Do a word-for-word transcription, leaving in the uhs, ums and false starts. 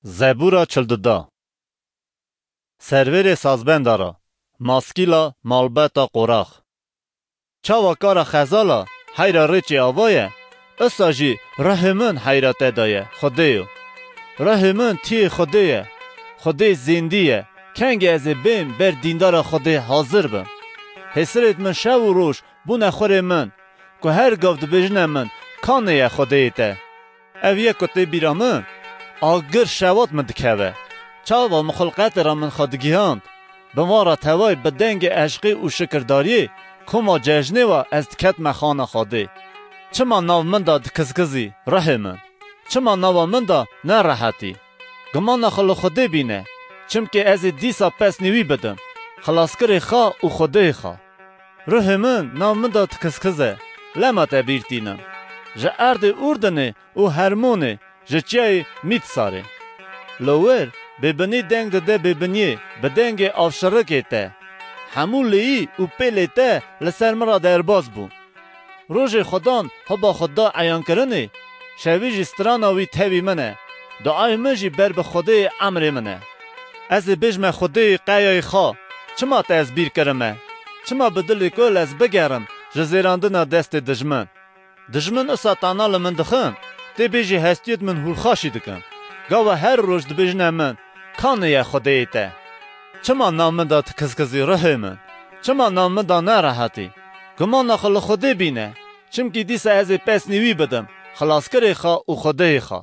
Zebûra çil dida. Servêrê sazbenda ra, maskîla malbeta qorax. Çawa kara xezala heyra rêçê ava ye, isa jî ruhê min heyra te de ye, Xwedêyo. Ruhê min tiyê Xwedê ye, Xwedê zêndî ye. Kengê ez ê bêm ber dîndara Xwedê hazir bim? Hêsirêt min şev û roj bûne xurê min, ku her gav dibêjine min, kanê ye Xwedêyê te? Ev yek ku tê bîra min, agir şewat min dikeve. Çawa min xulqetê ra min xwe digihand, bi van ra tevay bi dengê eşqê û şikirdariyê koma cejnê wa ez diketme xana Xwedê. Çima nav min de dikizkizî, ruhê min? Çima nava min de nerehetî? Gumana xwe li Xwedê bîne, çimkî ez ê dîsa pesnî wî bidim, xilaskirê xwe û Xwedêyê xwe. Ruhê min nav min de dikizkize, lema te bîr tînim. Ji erdê Urdinê û Hermonê, ji çiyayê Mîtsarê. Li wir bêbinî deng dide bêbiniyê bi dengê avşirikê te. Hemû lêyî û pêlê te li ser min re derbas bû. Rojê Xudan hiba xwe da eyankirinê, şevî jî strana wî tevî min e. Duayê min jî ber bi Xwedêyê emrê min e. Ez ê bêjme Xwedêyê qeyayê xwe, çima te ez bîr kirime? Çima bi dilê kul ez bigerim ji zêrandina destê dijmin? Dijmin isa tana li min dixin, tê bêjî hestiyêt min hûrxaşî dikin. Gawa her roj dibêjine min, kanê ye Xwedêyê te? Çima nav min de dikizkizî ruhê min? Çima nav min de nerehetî? Gumana xwe li Xwedê bîne, çimkî dîsa ez ê pesnî wî bidim, xilaskirê xwe û Xwedêyê xwe.